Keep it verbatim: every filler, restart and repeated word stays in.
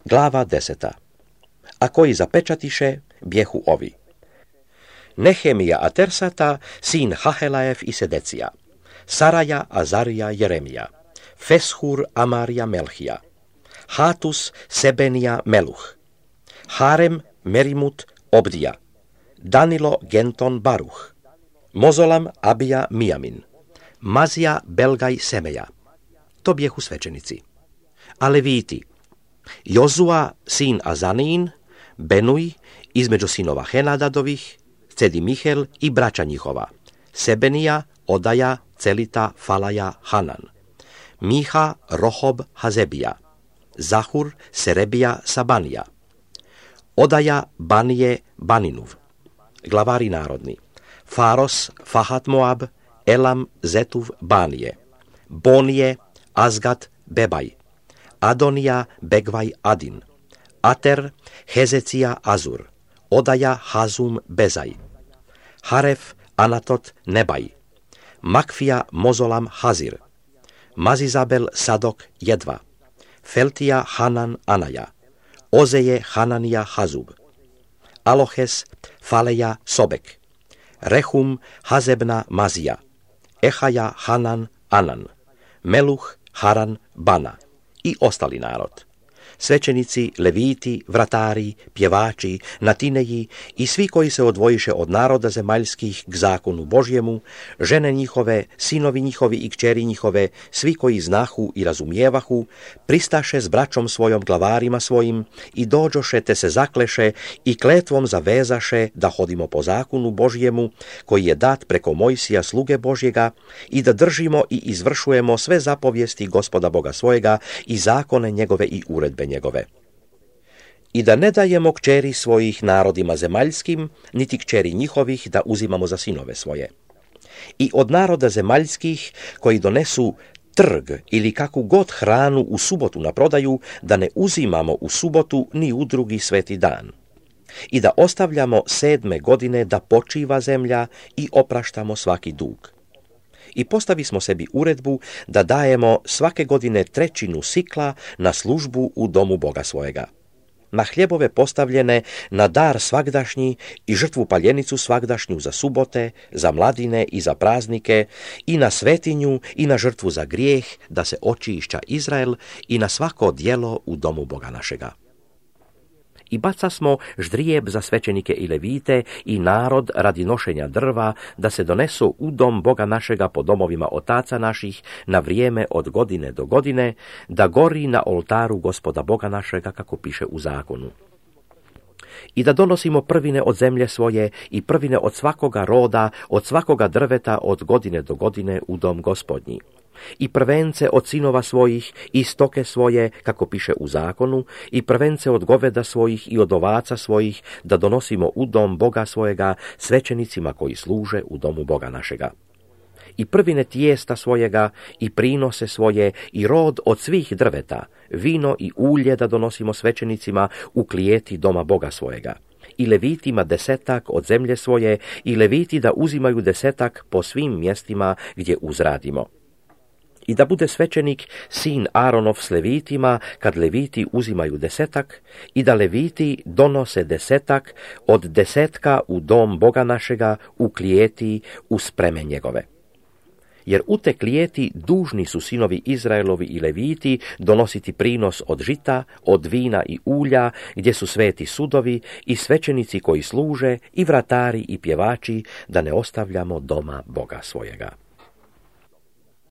Glava deseta. A koji zapečatiše, bjehu ovi. Nehemija a Tersata, sin Hahelajev i Sedecija. Saraja, Azarija, Jeremija. Feshur, Amarija, Melhija. Hatus, Sebenija, Meluh. Harem, Merimut, Obdija. Danilo, Genton, Baruh. Mozolam, Abija, Mijamin. Mazija, Belgaj, Semeja. To bjehu svećenici. A Leviti, Jozua, sin Azanijin, Benuj, između sinova Henadadovih, Cedi Mihel i braća njihova, Sebenija, Odaja, Celita, Falaja, Hanan. Miha, Rohob, Hazebija. Zahur, Serebija, Sabanija. Odaja, Banije, Baninuv. Glavari narodni. Faros, Fahat Moab, Elam, Zetuv, Banije. Bonije, Azgat, Bebaj. Adonija, Begvaj, Adin. Ater, Hezecija, Azur. Odaja, Hazum, Bezaj. Haref, Anatot, Nebaj. Makfija, Mozolam, Hazir. Mazizabel, Sadok, Jedva. Feltija, Hanan, Anaja. Ozeje, Hananija, Hazub. Alohes, Faleja, Sobek. Rehum, Hazebna, Mazija. Ehaja, Hanan, Anan. Meluh, Haran, Bana. I ostali narod. Svećenici, leviti, vratari, pjevači, natineji i svi koji se odvojiše od naroda zemaljskih k zakonu Božjemu, žene njihove, sinovi njihovi i kćeri njihove, svi koji znahu i razumijevahu, pristaše s braćom svojom glavarima svojim i dođoše te se zakleše i kletvom zavezaše da hodimo po zakonu Božjemu koji je dat preko Mojsija sluge Božjega i da držimo i izvršujemo sve zapovijesti Gospoda Boga svojega i zakone njegove i uredbe njegove. I da ne dajemo kćeri svojih narodima zemaljskim, niti kćeri njihovih da uzimamo za sinove svoje. I od naroda zemaljskih koji donesu trg ili kakvu god hranu u subotu na prodaju, da ne uzimamo u subotu ni u drugi sveti dan. I da ostavljamo sedme godine da počiva zemlja i opraštamo svaki dug. I postavi smo sebi uredbu da dajemo svake godine trećinu sikla na službu u domu Boga svojega. Na hljebove postavljene, na dar svagdašnji i žrtvu paljenicu svagdašnju za subote, za mladine i za praznike, i na svetinju i na žrtvu za grijeh, da se očišća Izrael, i na svako djelo u domu Boga našega. I baca smo ždrijeb za svećenike i levite i narod radi nošenja drva, da se donesu u dom Boga našega po domovima otaca naših na vrijeme od godine do godine, da gori na oltaru Gospoda Boga našega, kako piše u zakonu. I da donosimo prvine od zemlje svoje i prvine od svakoga roda, od svakoga drveta od godine do godine u dom Gospodnji. I prvence od sinova svojih i stoke svoje, kako piše u zakonu, i prvence od goveda svojih i od ovaca svojih, da donosimo u dom Boga svojega svećenicima koji služe u domu Boga našega. I prvine tijesta svojega i prinose svoje i rod od svih drveta, vino i ulje da donosimo svećenicima u klijeti doma Boga svojega. I levitima desetak od zemlje svoje i leviti da uzimaju desetak po svim mjestima gdje uzradimo. I da bude svećenik sin Aronov s levitima, kad leviti uzimaju desetak, i da leviti donose desetak od desetka u dom Boga našega, u klijeti, u spreme njegove. Jer u te klijeti dužni su sinovi Izraelovi i leviti donositi prinos od žita, od vina i ulja, gdje su sveti sudovi i svećenici koji služe, i vratari i pjevači, da ne ostavljamo doma Boga svojega.